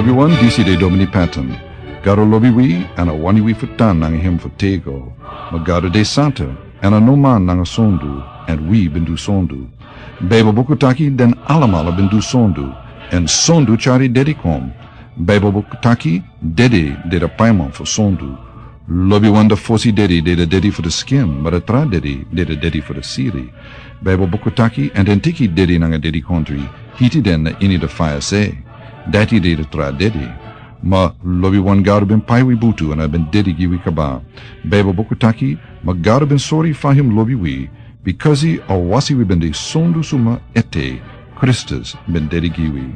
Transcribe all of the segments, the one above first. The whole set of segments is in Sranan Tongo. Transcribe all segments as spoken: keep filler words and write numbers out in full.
Wi wan disi de Domini Patton. Gado lobi wi, èn a wani wi fu tan nanga hem fu tego. Ma Gado de santa, èn a no man nanga sondu, èn wi ben du sondu. Baibel buku taki den alamala ben du sondu, èn sondu tyari dedi kon. Baibel buku taki dedi de de paiman fu sondu. Lobi wan de fosi dedi de de dedi fu de skin, ma de tra dedi de de dedi fu de siri. Baibel buku taki, èn den teki dedi nanga dedi kontri, hiti den na ini de faya se. Dati de de tra dedi. Ma lobi wan Gado ben pai wi butu èn a ben dedi gi wi kaba. Baibel buku taki, ma Gado ben sori fa hem lobi wi, bikasi a wasi wi ben de sondu suma ete, Kristus ben dedi gi wi.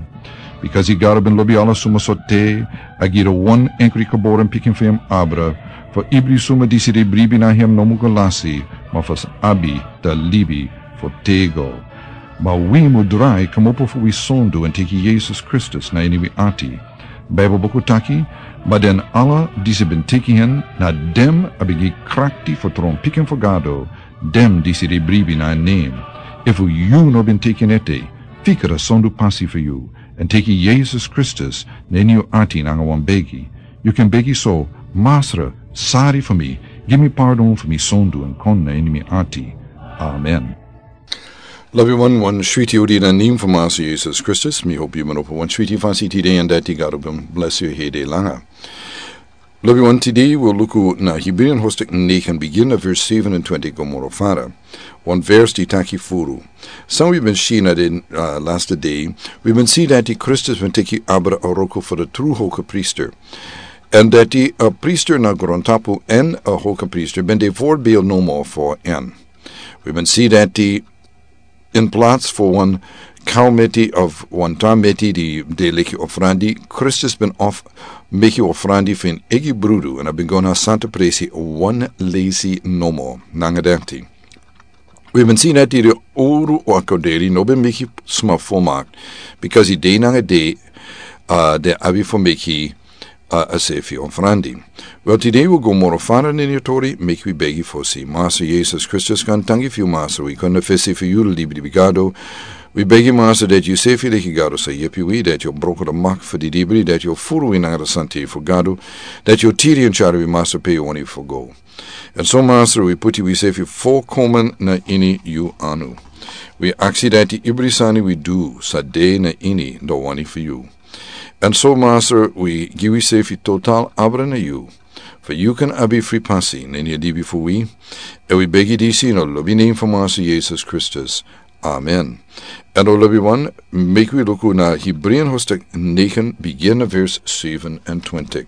Bikasi Gado ben lobi ala suma so te, a gi de wan enkri geboren pikin fu hem abra, fu ibri suma disi de bribi na hem no mu go lasi, ma fu abi de libi fu tego. Ma wi mu drai kmopo fu wi sondu èn teki Yesus Kristus na ini wi ati. Baibel buku taki, ma den ala disi ben teki hen, na dem a ben gi krakti fu tron pikin fu Gado, dem disi de bribi na en nen. Efu yu no ben teki en ete, fika de sondu pasi fu yu, èn teki Yesus Kristus na ini yu ati nanga wan begi. Yu kan begi so, Masra, sari fu mi, gi mi pardon fu mi sondu èn kon na ini mi ati. Amen. Lobi wan, wan switi odi na nen fu Masra Yesus Kristus, mi hopi yu man opo wan switi fasi tide èn dati Gado ben blesi yu hede langa. Lobi wan, tide wi o luku na Hebreeën hoofdstuk negen, begin na vers zevenentwintig go moro fara. Wan vers di taki furu. San wi ben si na den, uh, laatste dei, wi ben si dati Kristus ben teki abra a wroko fu de tru hogepriester. Èn dati a priester na grontapu èn a hogepriester ben de voorbeeld nomo fu en. Wi ben si dati in plaats fu wan kau meti of wan tra meti di de leki ofrandi, Kristus ben of meki ofrandi fu en eigi brudu, èn a ben go na santa presi wan leisi nomo, nanga dati. Wi ben si dati de owru akorderi no ben meki sma volmaakt, bikasi de nanga de, uh, den abi fu meki a, a sefi ofrandi. Wel, tide wi o go moro fara na ini a tori, meki wi begi fosi. Masra Yesus Kristus, kon tangi fu yu, Masra, wi kon na fesi fu yu, libi, libi Gado. Wi begi, Masra, dati yu sefi leki Gado sa yepi wi, dati yu o broko de mak fu di dibri, dati yu o furu wi nanga de santa fu Gado, dati yu o tiri èn tyari wi, Masra, pe yu wani fu go. Èn so, Masra, wi puti wi sefi volkomen na ini yu anu. Wi aksi dati ibri sani wi du sa de na ini de wani fu yu. Èn so, Masra, wi gi wi sefi total abra na yu, fu yu kan abi fri pasi na ini a libi fu wi. Èn wi begi disi na lobi nen fu Masra Yesus Kristus. Amen. Èn o lobi wan, meki wi luku na Hebreeën hoofdstuk negen, begin na vers zevenentwintig.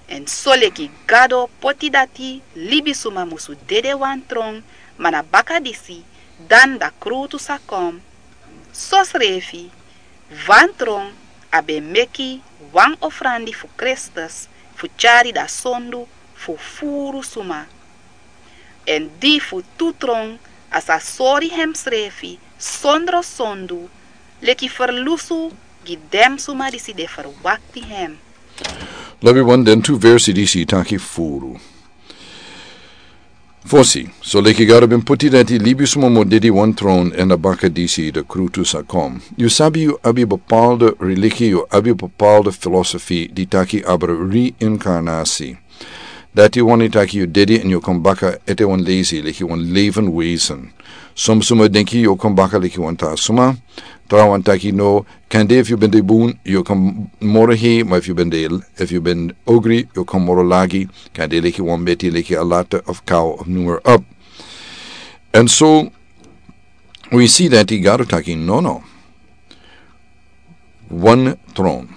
Èn soleki Gado poti dati libisuma musu dede wan tron, ma na baka disi dan da krutu sa kon. Sosrefi, wan tron a ben meki wan ofrandi fu Kristus fu tyari da sondu fu furu suma. Èn di fu tu tron a sa sori hemsrefi sondro sondu, leki ferlusu gi den suma disi de ferwakti hem. Lobi wan, den tu versi disi taki furu. Fosi, soleki Gado ben poti dati libisuma mu dede wan tron, èn na baka disi de krutu sa kon. Yu sabi yu abi bepaalde religie, yu abi bepaalde filosofi di taki abra reïncarnatie. Dati wani taki yu dede èn yu kon baka ete wan leisi, leki wan leven wezen. Son suma denki yu kon baka leki wan tra suma. Trawan taki no, kande efu yu ben de bun, yu kon moro hei, ma efu yu ben de, efu yu ben ogri, yu kon moro lagi, kande leki wan meti, leki a lata of kau of noem maar op. Èn so, wi si dati Gado taki no, no. Wan tron.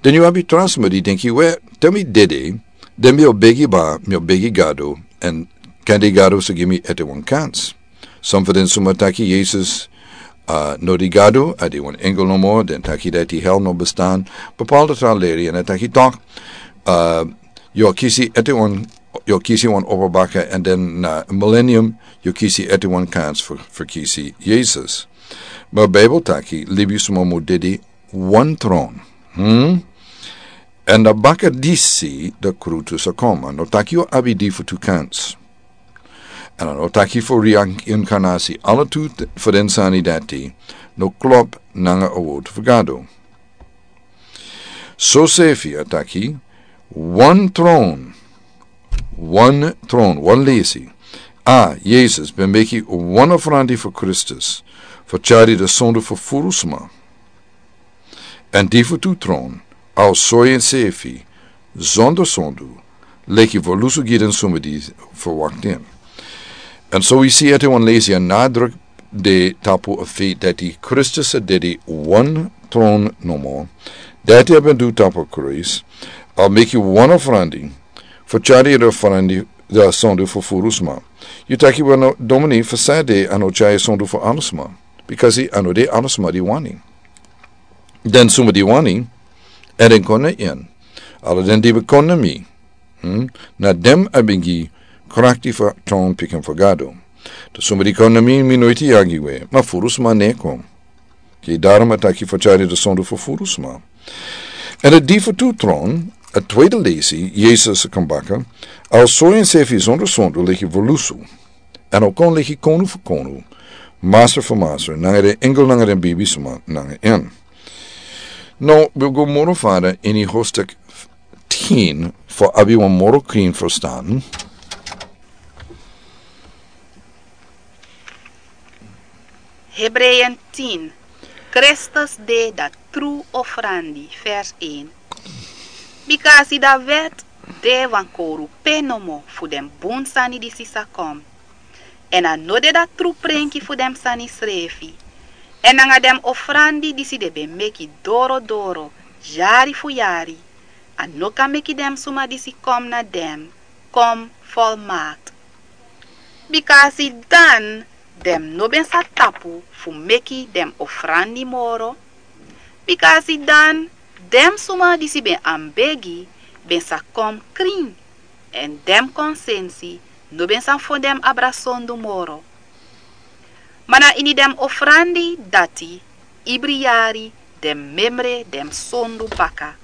Den yu abi tra sma di denki we, te mi dede, den mi o begi ba, mi o begi Gado, èn kande Gado sa gi mi ete wan kans. Son fu den suma taki Yesus, a, no de Gado, a de wan engel nomo, den taki dati hel no bestaan, bepaalde tra leri, èn a taki tok, a, yu o kisi ete wan, yu o kisi wan opo baka, èn den na millennium, yu o kisi ete wan kans fu, fu kisi Yesus. Ma Bijbel taki, libisuma mu dede wan tron. Hmm? Èn na baka disi de krutu sa kon. A no taki yu abi di fu tu kans. Èn a no taki fu reïncarnatie. Ala tu fu den sani dati no klop nanga a woord fu Gado. Sosefi a taki, wan tron, wan tron, wan lesi. A, Yesus ben meki wan ofrandi fu Kristus, fu tyari de sondu fu furu sma. Èn di fu tu tron, a o sori ensefi, zonder sondu, leki fu lusu gi den suma di verwakti en. Èn so wi si ete wan lesi a nadruk de tapu a feit dati Kristus a dede wan tron nomo. Dati a ben du tapu a kruis, a meki wan ofrandi, fu tyari de ofrandi, de sondu fu furu sma. Yu taki wan no, domini fu san de a no tyari sondu fu ala sma. Bikasi a no de ala sma di wani. Den suma di wani, èn den kon na en. Ala den di ben kon na mi. Hmm? Na dem a ben gi krakti fu tron pikin fu Gado. Den suma di kon na mi, mi no e yagi we, ma furu sma no e kon. Ke darom a taki fu tyari de sondu fu furu sma. Èn a di fu tu tron, a tweede lesi, Yesus a kon baka, a o sori ensefi zonder sondu leki fu lusu. Èn a o kon leki konu fu konu, masra fu masra, nanga den engel nanga den bibisma nanga en. Now, wi go moro fara ini hoofdstuk tien, fu abi wan moro krin ferstan. Hebreeën tien. Kristus de dati tru ofrandi, vers één. Bikasi dati wet de wan kowru pe nomo fu den bun sani disi sa kon. Èn a no de dati tru prenki fu den sani srefi. Èn nanga den ofrandi disi den ben meki doro doro, yari fu yari, a no kan meki den suma disi kon na den, kon volmaakt. Bikasi dan den no ben sa tapu fu meki den ofrandi moro. Bikasi dan den suma disi ben e begi ben sa kon krin, èn den konsensi no ben sa fon den abra sondu moro. Ma na ini den ofrandi dati, ibri yari den memre den sondu baka.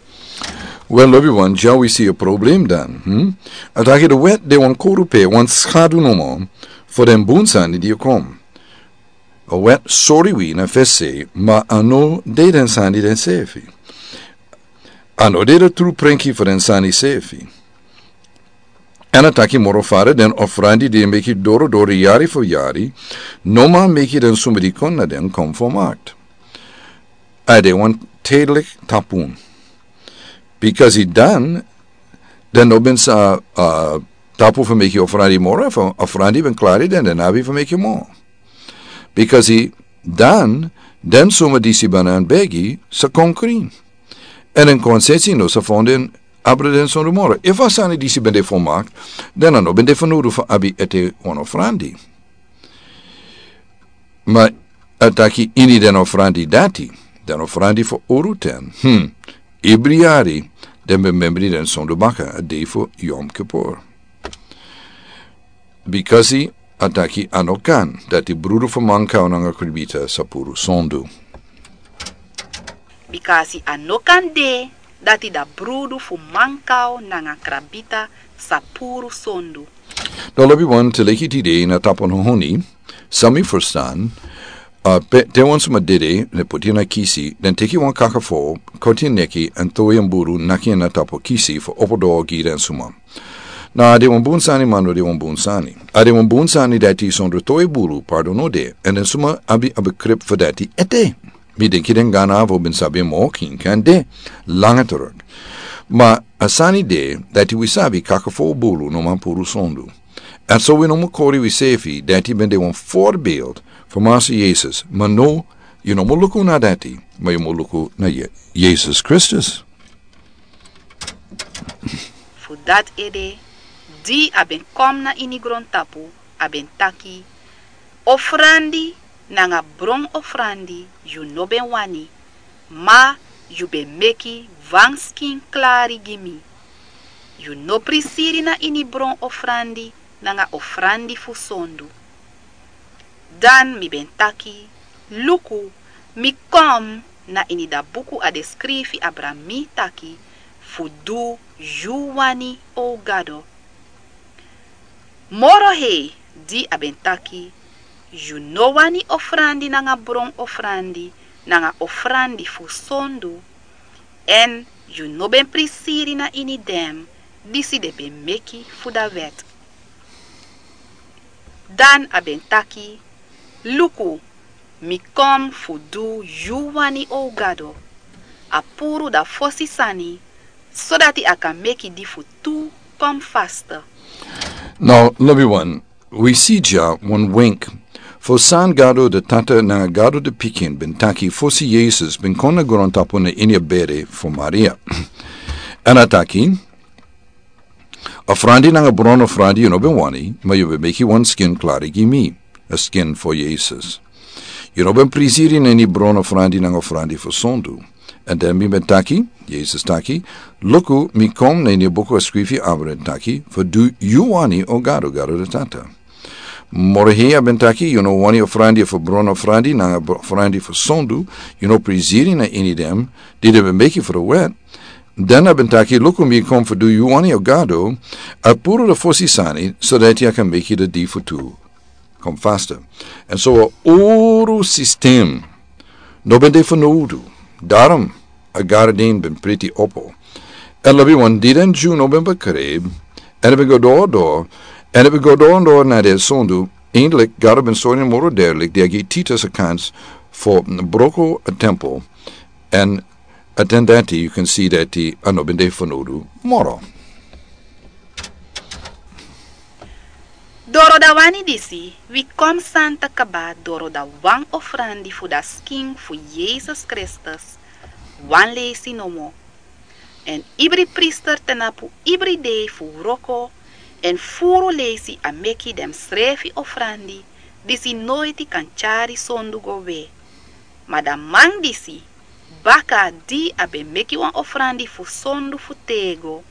Wel, lobi wan, dya wi si a problem dan. Hmm? A taki de wet de wan kowru pe, wan skadu nomo, fu den bun sani di e kon. A wet sori wi na fesi, ma a no de den sani densefi. A no de de tru prenki fu den sani sefi. Èn a taki moro fara, den ofrandi di e meki doro doro yari fu yari, no man meki den suma di kon na den kon volmaakt. A de wan tijdelijk tapu. Bikasi dan, den no ben sa, uh, tapu fu meki ofrandi moro, fu ofrandi ben klari den, den abi fu meki moro. Bikasi dan, den suma disi ben e begi sa kon krin. Èn den konsensi no sa fon den abra den sondu moro. Efu a sani disi ben de volmaakt, dan a no ben de fanowdu fu abi ete wan ofrandi. Ma a taki ini den ofrandi dati, den ofrandi fu owru ten. Hmm. Ibri yari, den ben membri den sondu baka, a dei fu Yom Kippur. Bikasi a taki a no kan, dati brudu fu mankau nanga krabita sa puru sondu. Bikasi a no kan de, dati da brudu fu mankau nanga krabita sa puru sondu. Dan lobi wan te leki tide na tapu na honi, san mi ferstan, a pe, te wan suma dede, den poti en na kisi, den teki wan kaka fu, koti en neki, èn towe en buru, naki en na tapu kisi, fu opo doro gi den suma. Na a de wan bun sani, ma no de wan bun sani. A de wan bun sani dati sondro towe buru, pardon no de, èn den suma abi, abi krip fu dati ete. Mi denki den Gana fu ben sabi moro krin kan de, langa teruk. Ma a sani de, dati wi sabi kaka fu buru no man puru sondu. Èn so wi no mu kori wisefi, dati ben de wan voorbeeld fu Masra Yesus. Ma no, yu no mu luku na dati, ma yu mu luku na Ye-, Yesus Kristus. Fu dati ede, di a ben kon na ini grontapu, a ben taki: Ofrandi nanga bron ofrandi yu no ben wani, ma yu ben meki wan skin klari gi mi. Yu no prisiri na ini bron ofrandi nanga ofrandi fu sondu. Dan mi ben taki: Luku, mi kon, na ini da buku a de skrifi abra mi taki fu du yu wani, o Gado. Moro hei, di a ben taki: Yu no wani ofrandi nanga bron ofrandi nanga ofrandi fu sondu, èn Yu no ben prisiri na ini den disi den ben meki fu da wet. Dan a ben taki: Luku, mi kon fu du yu wani, o Gado. A puru da fosi sani, sodati a kan meki di fu tu kon faste. Now, lobi wan, wi si dya wan wenk fu san Gado de Tata nanga Gado de Pikin ben taki fosi Yesus ben kon na grontapu na ini a bere fu Maria. Èn a taki: Ofrandi nanga bron ofrandi yu no ben wani, ma yu ben meki wan skin klari gi mi, a skin fu Yesus. Yu no ben prisiri na ini bron ofrandi nanga ofrandi fu sondu. Èn den mi ben taki, Yesus taki: Luku, mi kon na ini buku a skrifi abra, èn taki fu du yu wani, o Gado, Gado de Tata. Moro hei a ben taki: Yu no wani ofrandi fu bron ofrandi nanga bro-, ofrandi fu sondu, yu no prisiri na ini den di den ben meki fu da wet. Dan a ben taki: Luku, mi kon fu du yu wani, o Gado. A puru da fosi sani, sodati a kan meki da di fu tu kon faste. Èn so a uru sistem no ben de fanowdu. Daarom a garden ben priti opo. Èn lobi wan, di den Dyu no ben bekrep, èn a ben go doro doro, èn a ben go doro doro na den sondu, eindelijk Gado ben sori moro derlik, di a gi Titus a kans fu broko a tempel. Èn a ten dati, yu kan si dati a no ben de fanowdu moro. Doro da wani disi, wi kon santa kaba doro da wan ofrandi fu da skin fu Yesus Kristus, wan leisi nomo. Èn ibri priester tnapu ibri dei fu wroko, èn furu leisi a meki den srefi ofrandi, disi noiti kan tyari sondu go we. Ma da man disi, baka di a ben meki wan ofrandi fu sondu fu tego,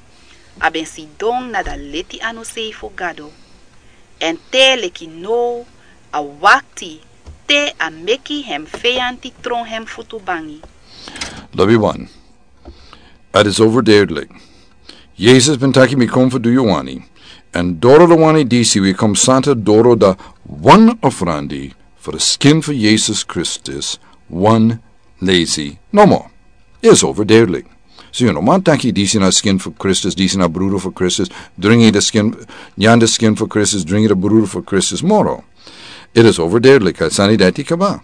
a ben sidon na da leti anu sei fu Gado. Èn te leki now a wakti te a meki hem feyanti tron hem futu bangi. Lobi wan, het is overduidelijk. Yesus ben taki: Mi kon fu du yu wani. Èn doro da wani disi wi kon santa doro da wan ofrandi fu da skin fu Yesus Kristus, wan leisi nomo. Is overduidelijk. So yu no man taki: Disi na skin fu Kristus, disi na brudu fu Kristus, dringi da skin, nyan da skin fu Kristus, dringi da brudu fu Kristus moro. It is overduidelijk, a sani dati kaba.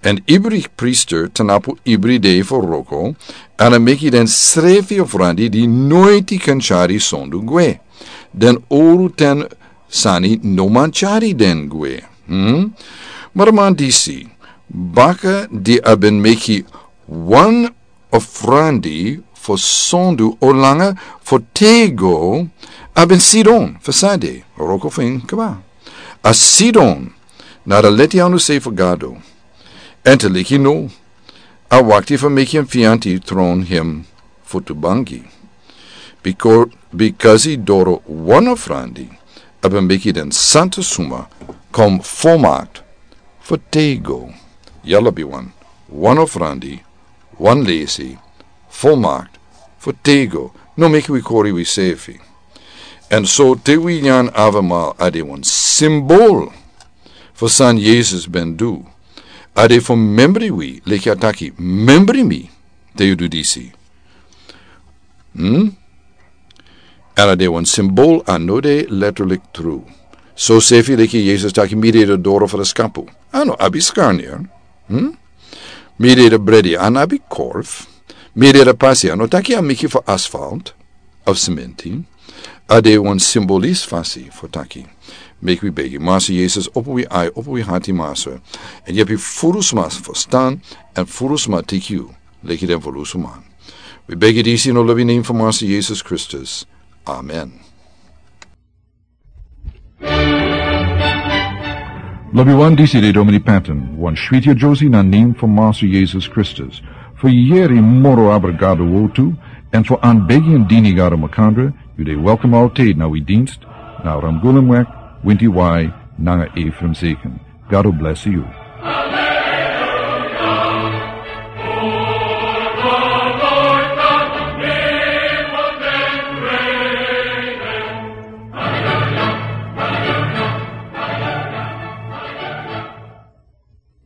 Èn ibri priester tnapu ibri dei fu wroko, èn a meki den srefi ofrandi di noiti kan tyari sondu gwe. Den uru ten sani no man tyari den gwe. Hmm? Ma da man disi, baka di a ben meki wan ofrandi fu sondu, o langa fu tego, a ben sidon fu sade, wroko fu en kaba. A sidon na da leti anu sei fu Gado. Èn te leki now a wakti fu meki en feyanti tron hem futu bangi. Biko-, bikasi doro wan ofrandi a ben meki den santa suma kon volmaakt fu tego. Ya lobi wan, wan ofrandi, wan leisi, volmaakt fu tego. No meki wi kori wi sefi. Èn so te wi nyan avondmaal, a de wan symbool fu san Yesus ben du. A de fu membri wi, leki a taki: Membri mi te yu du disi. Hmm? Èn a de wan symbool, a no de letterlijk tru. So sefi leki Yesus taki: Mi de da doro fu da skapu. A no abi skarneri. Hmm? Mi de da bredi, a no abi korf. Mi de da pasi, a no taki a meki fu asfalt of sementi. A de wan symbolis fasi fu taki. Meki wi begi. Master Yesus, opo wi ai, opo wi hati, Master. Èn yepi furu sma ferstan, èn furu sma teki yu leki den volusu man. Wi begi disi na lobi nen fu Master Yesus Kristus. Amen. Lobi wan, disi de Domini Patton, wan switi a Josie na nen fu Master Yesus Kristus. Fu yere moro abra Gado wortu, èn fu an begi èn dini Gado makandra, yu de welkom altijd na wi dienst, na Ramgulemweg, Winti Wai, nanga Ephraim Zeken. Gado bless yu.